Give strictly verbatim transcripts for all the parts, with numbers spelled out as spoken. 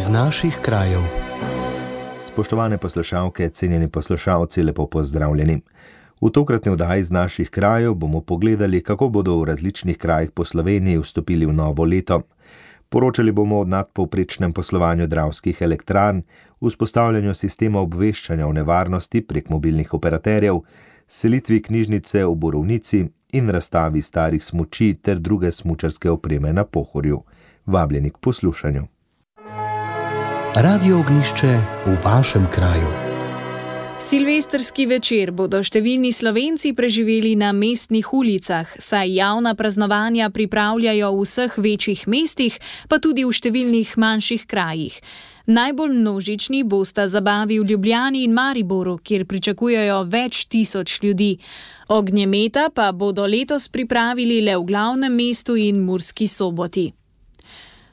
iz naših krajev. Spoštovane poslušalke, cenjeni poslušalci, lepo pozdravljeni. V tokratni oddaji iz naših krajev bomo pogledali, kako bodo v različnih krajih po Sloveniji vstopili v novo leto. Poročali bomo o nadpovprečnem poslovanju Dravskih elektrarn, vzpostavljanju sistema obveščanja o nevarnosti prek mobilnih operaterjev, selitvi knjižnice v Borovnici in razstavi starih smuči ter druge smučarske opreme na Pohorju. Vabljeni k poslušanju. Radio Ognjišče v vašem kraju. Silvestrski večer bodo številni Slovenci preživeli na mestnih ulicah, saj javna praznovanja pripravljajo v vseh večjih mestih, pa tudi v številnih manjših krajih. Najbolj množični bosta zabavi v Ljubljani in Mariboru, kjer pričakujejo več tisoč ljudi. Ognjemeta pa bodo letos pripravili le v glavnem mestu in Murski Soboti.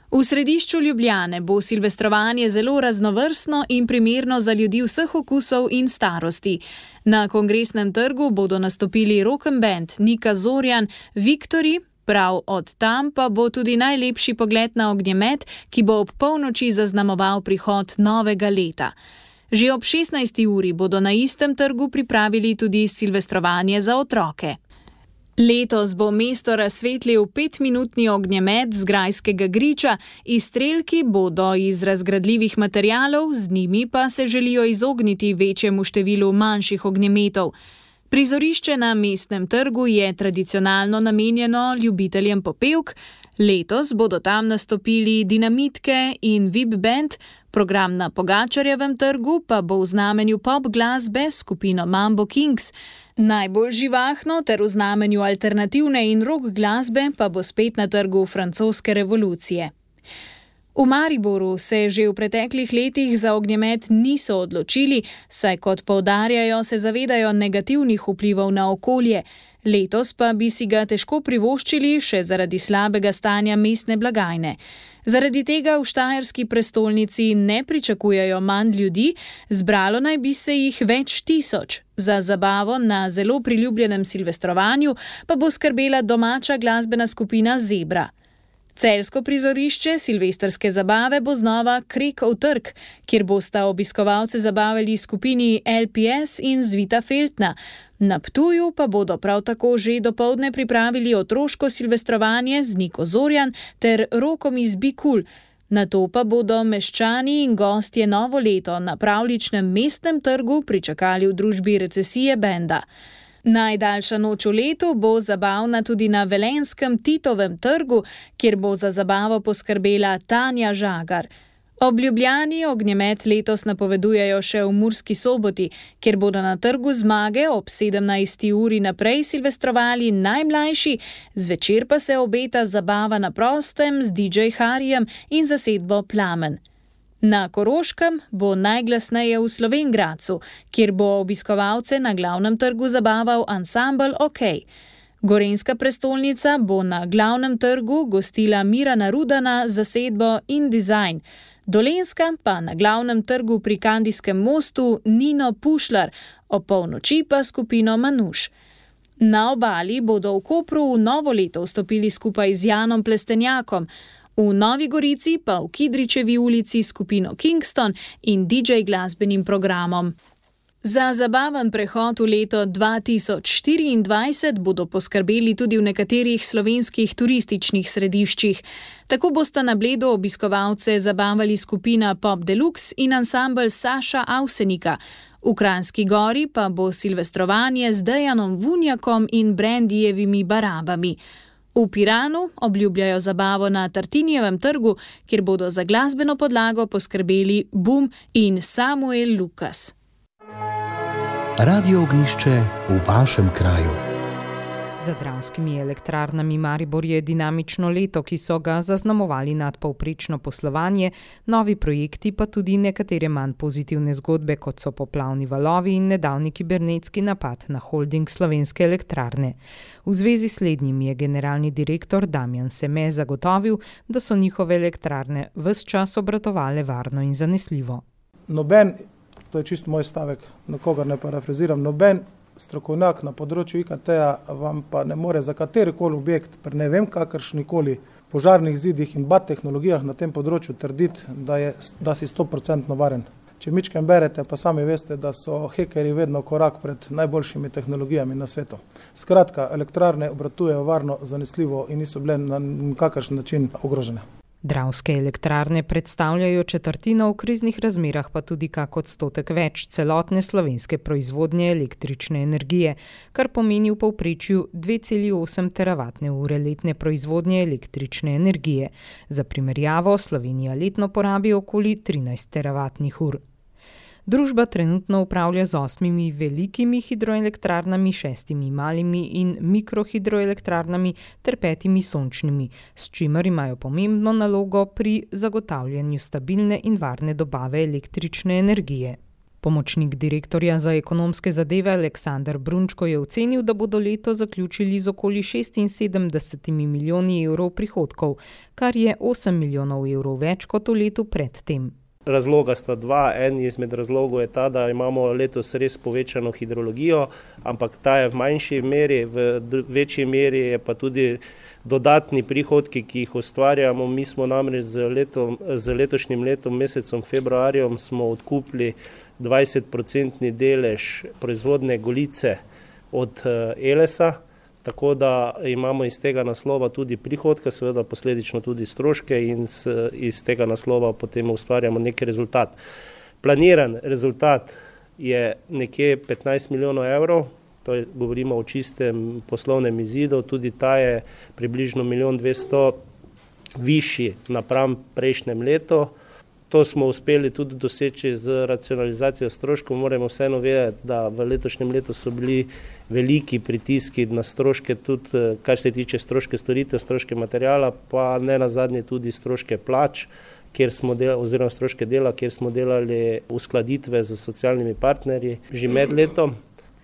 V središču Ljubljane bo silvestrovanje zelo raznovrstno in primerno za ljudi vseh okusov in starosti. Na Kongresnem trgu bodo nastopili rock'n band Nika Zorjan, Viktorji, prav od tam pa bo tudi najlepši pogled na ognjemet, ki bo ob polnoči zaznamoval prihod novega leta. Že ob šestnajsti uri bodo na istem trgu pripravili tudi silvestrovanje za otroke. Letos bo mesto razsvetlil petminutni ognjemet z grajskega griča, izstrelki bodo iz razgradljivih materialov, z njimi pa se želijo izogniti večjemu številu manjših ognjemetov. Prizorišče na mestnem trgu je tradicionalno namenjeno ljubiteljem popevk, letos bodo tam nastopili Dinamitke in V I B band, program na Pogačarjevem trgu pa bo v znamenju pop glasbe s skupino Mambo Kings. Najbolj živahno ter v znamenju alternativne in rock glasbe pa bo spet na trgu francoske revolucije. V Mariboru se že v preteklih letih za ognjemet niso odločili, saj kot poudarjajo, se zavedajo negativnih vplivov na okolje. Letos pa bi si ga težko privoščili še zaradi slabega stanja mestne blagajne. Zaradi tega v štajerski prestolnici ne pričakujejo manj ljudi, zbralo naj bi se jih več tisoč. Za zabavo na zelo priljubljenem silvestrovanju pa bo skrbela domača glasbena skupina Zebra. Celjsko prizorišče silvestrske zabave bo znova Krekov trg, kjer bosta obiskovalce zabavali skupini L P S in Zvita Feltna. Na Ptuju pa bodo prav tako že dopoldne pripravili otroško silvestrovanje z Niko Zorjan ter rokom iz Be Cool. Nato pa bodo meščani in gostje novo leto na pravljičnem mestnem trgu pričakali v družbi Recesije benda. Najdaljša noč v letu bo zabavna tudi na velenskem Titovem trgu, kjer bo za zabavo poskrbela Tanja Žagar. Ob Ljubljani ognjemet letos napovedujejo še v Murski Soboti, kjer bodo na trgu Zmage ob sedemnajsti uri naprej silvestrovali najmlajši, zvečer pa se obeta zabava na prostem z D J Harijem in zasedbo Plamen. Na Koroškem bo najglasneje v Slovenj Gradcu, kjer bo obiskovalce na glavnem trgu zabaval ansambel OK. Gorenjska prestolnica bo na glavnem trgu gostila Mirana Rudana z zasedbo In Design. Dolenjska pa na glavnem trgu pri Kandijskem mostu Nino Pušlar, ob polnoči pa skupino Manuš. Na Obali bodo v Kopru v novo leto vstopili skupaj z Janom Plestenjakom, v Novi Gorici pa v Kidričevi ulici skupino Kingston in D J glasbenim programom. Za zabaven prehod v leto dva tisoč štiriindvajset bodo poskrbeli tudi v nekaterih slovenskih turističnih središčih. Tako bosta na Bledu obiskovalce zabavali skupina Pop Deluxe in ansambel Saša Avsenika. V Kranjski Gori pa bo silvestrovanje z Dejanom Vunjakom in Brandijevimi barabami. V Piranu obljubljajo zabavo na Tartinijevem trgu, kjer bodo za glasbeno podlago poskrbeli Bum in Samuel Lukas. Radio Ognjišče v vašem kraju. Za Dravskimi elektrarnami Maribor je dinamično leto, ki so ga zaznamovali nadpovprečno poslovanje, novi projekti pa tudi nekatere manj pozitivne zgodbe, kot so poplavni valovi in nedavni kibernetski napad na holding Slovenske elektrarne. V zvezi s slednjim je generalni direktor Damjan Seme zagotovil, da so njihove elektrarne ves čas obratovale varno in zanesljivo. Noben, to je čisto moj stavek, nikogar ne parafraziram, noben strokovnjak na področju I K T-ja vam pa ne more za katerikoli objekt, pri ne vem kakršnikoli požarnih zidih in B A T tehnologijah na tem področju trditi, da, je, da si sto procentno varen. Če mičkem berete, pa sami veste, da so hekerji vedno korak pred najboljšimi tehnologijami na svetu. Skratka, elektrarne obratujejo varno, zanesljivo in niso bile na kakršen način ogrožene. Dravske elektrarne predstavljajo četrtino, v kriznih razmerah pa tudi kak odstotek več celotne slovenske proizvodnje električne energije, kar pomeni v povprečju dve celi osem teravatne ure letne proizvodnje električne energije. Za primerjavo, Slovenija letno porabi okoli trinajst teravatnih ur. Družba trenutno upravlja z osmimi velikimi hidroelektrarnami, šestimi malimi in mikrohidroelektrarnami ter petimi sončnimi, s čimer imajo pomembno nalogo pri zagotavljanju stabilne in varne dobave električne energije. Pomočnik direktorja za ekonomske zadeve Aleksander Brunčko je ocenil, da bodo leto zaključili z okoli šestinsedemdesetimi milijoni evrov prihodkov, kar je osem milijonov evrov več kot v letu pred tem. Razloga sta dva. En izmed razlogov je ta, da imamo letos res povečano hidrologijo, ampak ta je v manjši meri, v večji meri je pa tudi dodatni prihodki, ki jih ustvarjamo. Mi smo namreč z, letom, z letošnjim letom, mesecem februarjem, smo odkupili dvajset procentni delež proizvodne Golice od Elesa, tako da imamo iz tega naslova tudi prihodke, seveda posledično tudi stroške in iz tega naslova potem ustvarjamo neki rezultat. Planiran rezultat je nekje petnajst milijonov evrov, to je, govorimo o čistem poslovnem izidu, tudi ta je približno milijon dvesto višji napram prejšnjem letu. To smo uspeli tudi doseči z racionalizacijo stroškov. Moramo vseeno vedeti, da v letošnjem letu so bili veliki pritiski na stroške, tudi kar se tiče stroške storitev, stroške materijala, pa ne nazadnje tudi stroške plač, kjer smo delali, oziroma stroške dela, kjer smo delali uskladitve z socialnimi partnerji že med letom.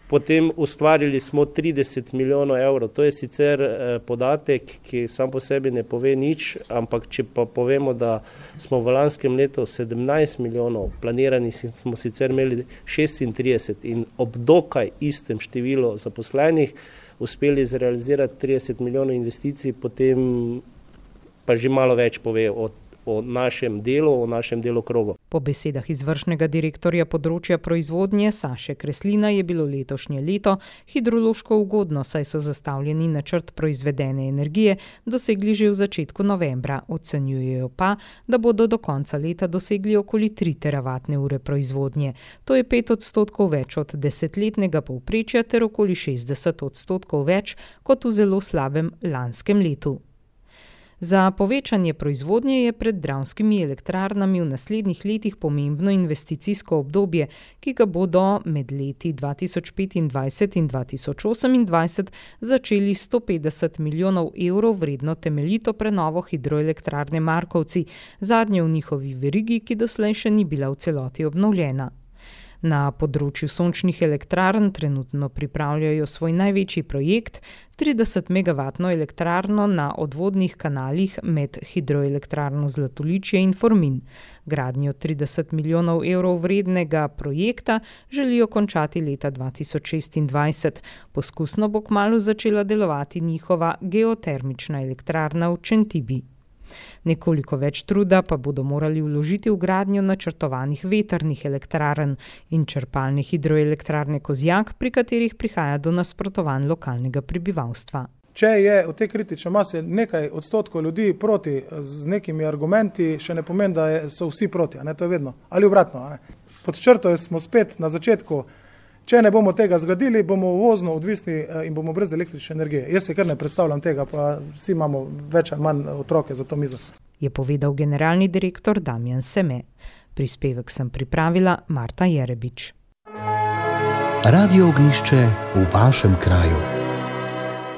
Potem ustvarili smo trideset milijonov evrov. To je sicer podatek, ki sam po sebi ne pove nič, ampak če pa povemo, da smo v lanskem letu sedemnajst milijonov, planirani smo sicer imeli šestintrideset in ob dokaj istem številu zaposlenih uspeli zrealizirati trideset milijonov investicij, potem pa že malo več pove o o našem delu, o našem delokrogu. Po besedah izvršnega direktorja področja proizvodnje Saše Kreslina je bilo letošnje leto hidrološko ugodno, saj so zastavljeni načrt proizvedene energije dosegli že v začetku novembra. Ocenjujejo pa, da bodo do konca leta dosegli okoli tri teravatne ure proizvodnje. To je pet odstotkov več od desetletnega povprečja ter okoli šestdeset odstotkov več kot v zelo slabem lanskem letu. Za povečanje proizvodnje je pred dravskimi elektrarnami v naslednjih letih pomembno investicijsko obdobje, ki ga bodo med leti dva tisoč petindvajset in dva tisoč osemindvajset začeli sto petdeset milijonov evrov vredno temeljito prenovo hidroelektrarne Markovci, zadnje v njihovi verigi, ki doslej še ni bila v celoti obnovljena. Na področju sončnih elektrarn trenutno pripravljajo svoj največji projekt, tridesetmegavatno elektrarno na odvodnih kanalih med hidroelektrarno Zlatoličje in Formin. Gradnjo trideset milijonov evrov vrednega projekta želijo končati leta dva tisoč šestindvajset. Poskusno bo kmalu začela delovati njihova geotermična elektrarna v Čentibi. Nekoliko več truda pa bodo morali vložiti v gradnjo načrtovanih vetrnih elektrarn in črpalne hidroelektrarne Kozjak, pri katerih prihaja do nasprotovanj lokalnega prebivalstva. Če je v tej kritični masi nekaj odstotkov ljudi proti z nekimi argumenti, še ne pomeni, da so vsi proti, a ne, to je vedno. Ali obratno, a ne. Pod črto smo spet na začetku. Če ne bomo tega zgradili, bomo uvozno odvisni in bomo brez električne energije. Jaz se kar ne predstavljam tega, pa vsi imamo več ali manj otroke za to mizo. Je povedal generalni direktor Damjan Seme. Prispevek sem pripravila Marta Jerebič. Radio Ognjišče v vašem kraju.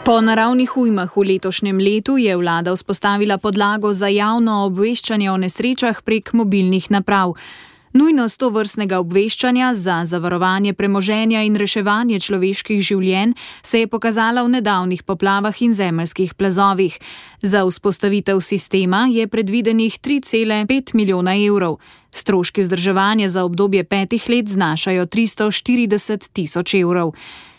Po naravnih ujmah v letošnjem letu je vlada vzpostavila podlago za javno obveščanje o nesrečah prek mobilnih naprav. Nujnost tovrstnega obveščanja za zavarovanje premoženja in reševanje človeških življenj se je pokazala v nedavnih poplavah in zemeljskih plazovih. Za vzpostavitev sistema je predvidenih tri cele pet milijona evrov. Stroški vzdrževanja za obdobje petih let znašajo tristo štirideset tisoč evrov.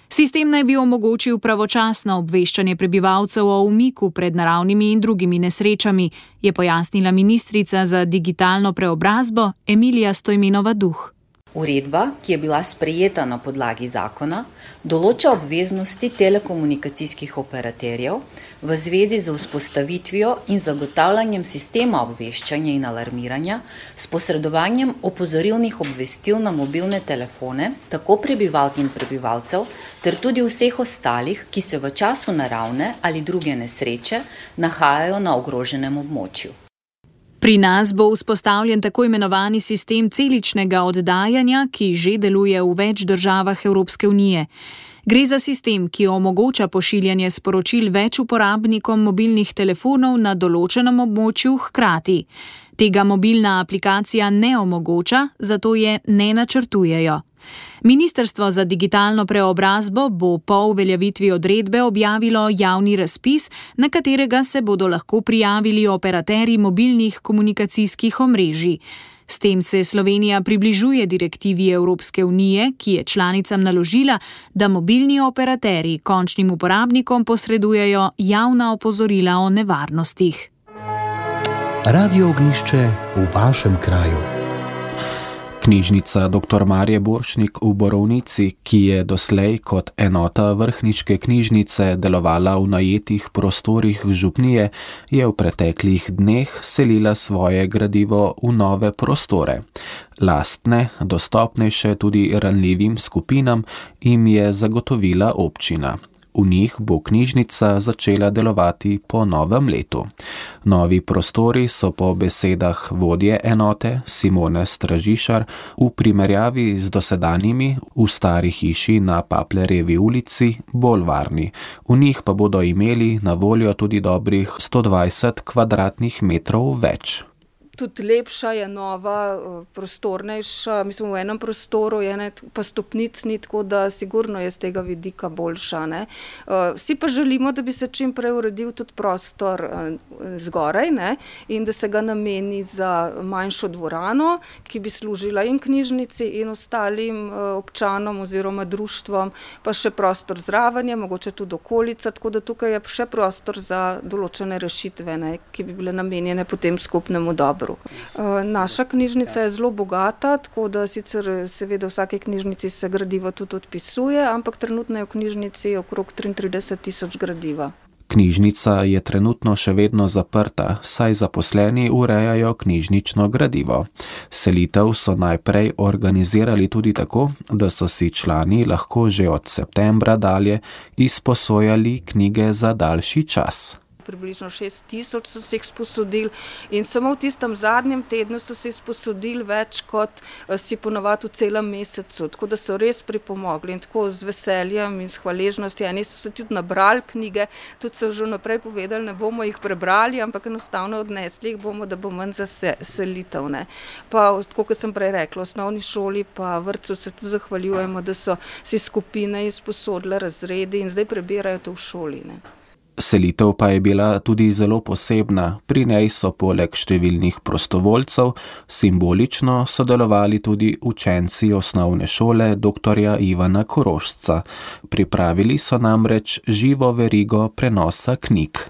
Sistem naj bi omogočil pravočasno obveščanje prebivalcev o umiku pred naravnimi in drugimi nesrečami, je pojasnila ministrica za digitalno preobrazbo Emilija Stojmenova-Duh. Uredba, ki je bila sprejeta na podlagi zakona, določa obveznosti telekomunikacijskih operaterjev v zvezi z vzpostavitvijo in zagotavljanjem sistema obveščanja in alarmiranja s posredovanjem opozorilnih obvestil na mobilne telefone, tako prebivalk in prebivalcev, ter tudi vseh ostalih, ki se v času naravne ali druge nesreče nahajajo na ogroženem območju. Pri nas bo vzpostavljen tako imenovani sistem celičnega oddajanja, ki že deluje v več državah Evropske unije. Gre za sistem, ki omogoča pošiljanje sporočil več uporabnikom mobilnih telefonov na določenem območju hkrati. Tega mobilna aplikacija ne omogoča, zato je ne načrtujejo. Ministrstvo za digitalno preobrazbo bo po uveljavitvi odredbe objavilo javni razpis, na katerega se bodo lahko prijavili operaterji mobilnih komunikacijskih omrežij. S tem se Slovenija približuje direktivi Evropske unije, ki je članicam naložila, da mobilni operaterji končnim uporabnikom posredujejo javna opozorila o nevarnostih. Radio Ognjišče v vašem kraju. Knjižnica doktor Marje Borštnik v Borovnici, ki je doslej kot enota vrhniške knjižnice delovala v najetih prostorih župnije, je v preteklih dneh selila svoje gradivo v nove prostore. Lastne, dostopnejše tudi ranljivim skupinam, jim je zagotovila občina. V njih bo knjižnica začela delovati po novem letu. Novi prostori so po besedah vodje enote Simone Stražišar v primerjavi z dosedanjimi v stari hiši na Paplerjevi ulici bolj varni. V njih pa bodo imeli na voljo tudi dobrih sto dvajset kvadratnih metrov več. Tudi lepša je nova, prostornejša, mislim v enem prostoru je ne, pa stopnic ni, tako da sigurno je z tega vidika boljša. Ne. Vsi pa želimo, da bi se čim prej uredil tudi prostor zgoraj, ne, in da se ga nameni za manjšo dvorano, ki bi služila in knjižnici in ostalim občanom oziroma društvom, pa še prostor zraven je, mogoče tudi okolica, tako da tukaj je še prostor za določene rešitve, ne, ki bi bile namenjene potem skupnemu dobru. Naša knjižnica je zelo bogata, tako da sicer seveda v vsake knjižnici se gradivo tudi odpisuje, ampak trenutno je v knjižnici okrog triintrideset tisoč gradiva. Knjižnica je trenutno še vedno zaprta, saj zaposleni urejajo knjižnično gradivo. Selitev so najprej organizirali tudi tako, da so si člani lahko že od septembra dalje izposojali knjige za daljši čas. Približno šest tisoč so se jih sposodili in samo v tistem zadnjem tednu so se sposodili več kot si ponovadi v celem mesecu, tako da so res pripomogli in tako z veseljem in s hvaležnostjo. Eni so se tudi nabrali knjige, tudi so že naprej povedali, ne bomo jih prebrali, ampak enostavno odnesli jih bomo, da bo manj za selitev. Ne. Pa, tako kot sem prej rekla, v osnovni šoli pa vrtcu se tudi zahvaljujemo, da so si skupine izposodile razredi in zdaj prebirajo to v šoli. Ne. Selitev pa je bila tudi zelo posebna, pri njej so poleg številnih prostovoljcev simbolično sodelovali tudi učenci osnovne šole doktorja Ivana Korošca. Pripravili so namreč živo verigo prenosa knjig.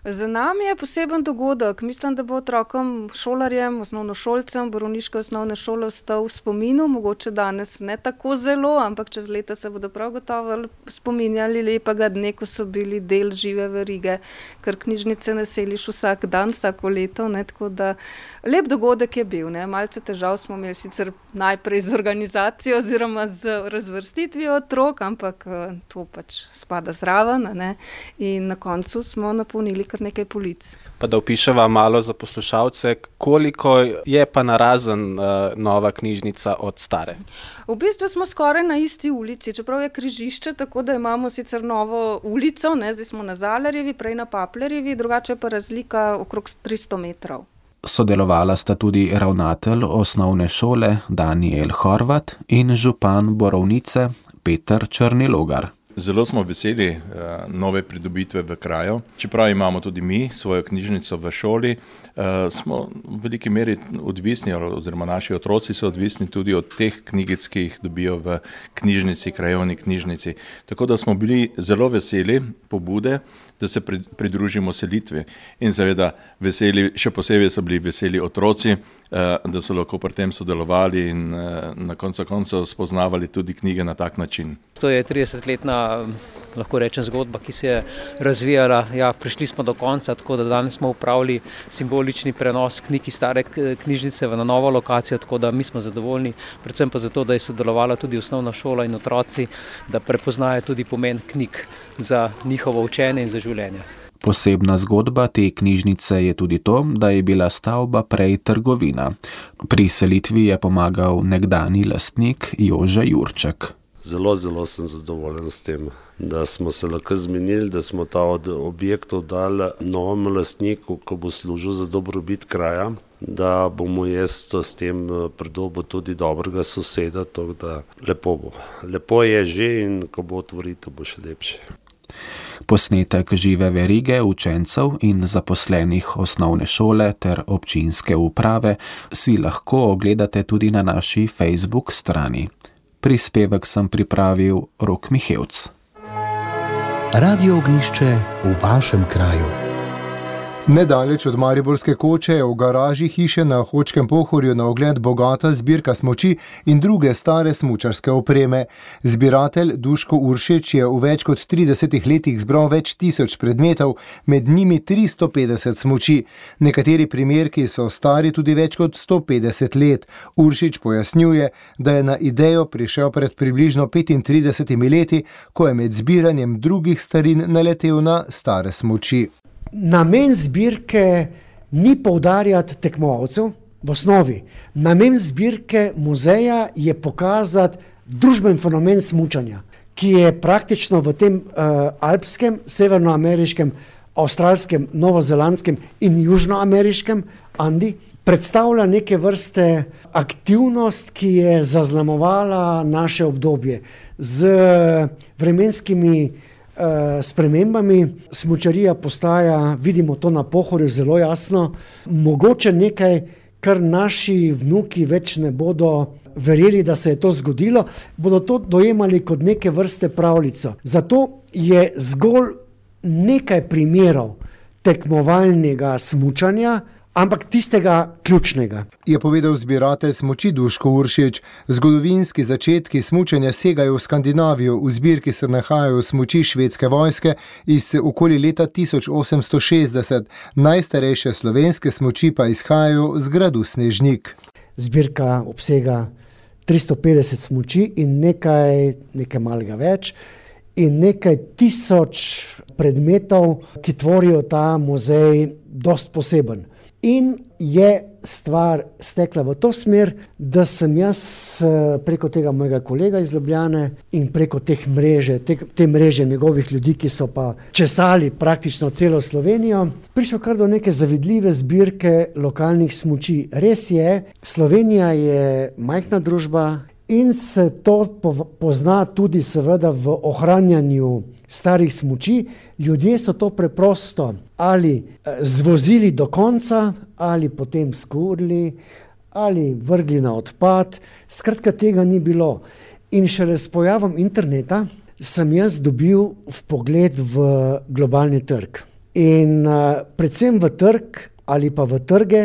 Za nami je poseben dogodek. Mislim, da bo otrokom, šolarjem, osnovnošolcem Borovniške osnovne šole ostal v spominu, mogoče danes ne tako zelo, ampak čez leta se bodo prav gotovo spominjali lepega dne, ko so bili del žive verige, ker knjižnice ne seliš vsak dan, vsako leto, ne, tako da lep dogodek je bil, ne. Malce težav smo imeli sicer najprej z organizacijo oziroma z razvrstitvijo otrok, ampak to pač spada zraven, ne, in na koncu smo napolnili kar nekaj polic. Pa da opiševa malo za poslušalce, koliko je pa narazen uh, nova knjižnica od stare? V bistvu smo skoraj na isti ulici, čeprav je križišče, tako da imamo sicer novo ulico, ne, zdaj smo na Zalarjevi, prej na Paplerjevi, drugače pa razlika okrog tristo metrov. Sodelovala sta tudi ravnatelj osnovne šole Danijel Horvat in župan Borovnice Peter Črnilogar. Zelo smo veseli uh, nove pridobitve v kraju. Čeprav imamo tudi mi svojo knjižnico v šoli, uh, smo v veliki meri odvisni, oziroma naši otroci so odvisni tudi od teh knjigic, ki jih dobijo v knjižnici, krajovni knjižnici. Tako da smo bili zelo veseli pobude, da se pridružimo selitvi in seveda veseli, še posebej so bili veseli otroci, da so lahko pri tem sodelovali in na koncu koncev spoznavali tudi knjige na tak način. To je tridesetletna, lahko rečem, zgodba, ki se je razvijala. Ja, prišli smo do konca, tako da danes smo upravili simbolični prenos knjig iz stare knjižnice v na novo lokacijo, tako da mi smo zadovoljni, predvsem pa zato, da je sodelovala tudi osnovna šola in otroci, da prepoznajo tudi pomen knjig za njihovo učenje in za življenje. Posebna zgodba te knjižnice je tudi to, da je bila stavba prej trgovina. Pri selitvi je pomagal nekdani lastnik Jože Jurček. Zelo, zelo sem zadovoljen s tem, da smo se lahko zmenili, da smo ta od objektov dali novemu lastniku, ko bo služil za dobrobit kraja, da bomo jaz s tem pridobil tudi dobrega soseda, tako da lepo bo. Lepo je že in ko bo otvoritev, bo še lepše. Posnetek žive verige učencev in zaposlenih osnovne šole ter občinske uprave si lahko ogledate tudi na naši Facebook strani. Prispevek sem pripravil Rok Mihevc. Radio Ognišče v vašem kraju. Nedaleč od Mariborske Koče je v garaži hiše na Hočkem Pohorju na ogled bogata zbirka smuči in druge stare smučarske opreme. Zbiratelj Duško Uršič je v več kot tridesetih letih zbral več tisoč predmetov, med njimi tristo petdeset smuči. Nekateri primerki so stari tudi več kot sto petdeset let. Uršič pojasnjuje, da je na idejo prišel pred približno petintridesetimi leti, ko je med zbiranjem drugih starin naletel na stare smuči. Namen zbirke ni poudarjati tekmovalcev v osnovi. Namen zbirke muzeja je pokazati družben fenomen smučanja, ki je praktično v tem uh, alpskem, severnoameriškem, avstralskem, novozelandskem in južnoameriškem Andi predstavlja neke vrste aktivnost, ki je zaznamovala naše obdobje z vremenskimi spremembami. Smučarija postaja, vidimo to na Pohorju zelo jasno, mogoče nekaj, kar naši vnuki več ne bodo verjeli, da se je to zgodilo, bodo to dojemali kot neke vrste pravljico. Zato je zgolj nekaj primerov tekmovalnega smučanja, ampak tistega ključnega. Je povedal zbiratelj smuči Duško Uršič. Zgodovinski začetki smučanja segajo v Skandinavijo, v zbirki se nahajajo smuči švedske vojske iz okoli leta tisoč osemsto šestdeset. Najstarejše slovenske smuči pa izhajajo z gradu Snežnik. Zbirka obsega tristo petdeset smuči in nekaj, nekaj malega več in nekaj tisoč predmetov, ki tvorijo ta muzej dost poseben. In je stvar stekla v to smer, da sem jaz preko tega mojega kolega iz Ljubljane in preko teh mreže, te, te mreže njegovih ljudi, ki so pa česali praktično celo Slovenijo, prišel kar do neke zavidljive zbirke lokalnih smuči. Res je, Slovenija je majhna družba in se to pozna tudi seveda v ohranjanju starih smuči. Ljudje so to preprosto ali zvozili do konca, ali potem skurili, ali vrgli na odpad. Skratka, tega ni bilo. In šele s pojavom interneta sem jaz dobil vpogled v globalni trg. In uh, predvsem v trg ali pa v trge,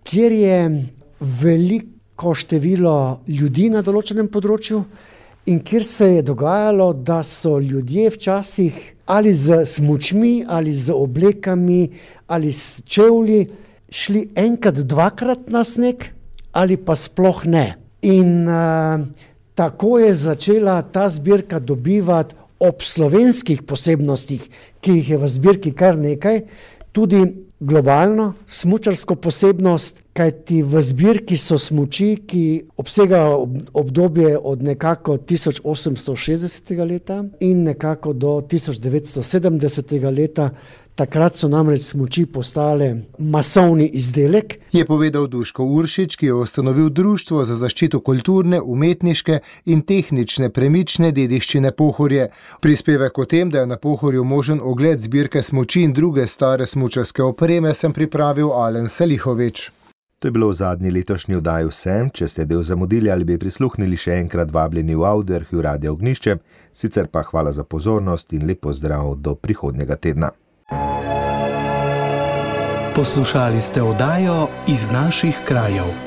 kjer je veliko število ljudi na določenem področju in kjer se je dogajalo, da so ljudje včasih ali z smučmi, ali z oblekami, ali s čevlji šli enkrat, dvakrat na sneg, ali pa sploh ne. In uh, tako je začela ta zbirka dobivati ob slovenskih posebnostih, ki jih je v zbirki kar nekaj, tudi globalno smučarsko posebnost, kajti v zbirki so smuči, ki obsegajo obdobje od nekako tisoč osemsto šestdesetega leta in nekako do tisoč devetsto sedemdesetega leta. Takrat so namreč smuči postale masovni izdelek. Je povedal Duško Uršič, ki je ustanovil Društvo za zaščito kulturne, umetniške in tehnične premične dediščine Pohorje. Prispevek o tem, da je na Pohorju možen ogled zbirke smuči in druge stare smučarske opreme, sem pripravil Alen Salihovič. To je bilo v zadnji letošnji oddaji vsem. Če ste del zamudili ali bi prisluhnili, še enkrat vabljeni v Audioarhiv Radia Ognjišče. Sicer pa hvala za pozornost in lep pozdrav do prihodnjega tedna. Poslušali ste oddajo Iz naših krajev.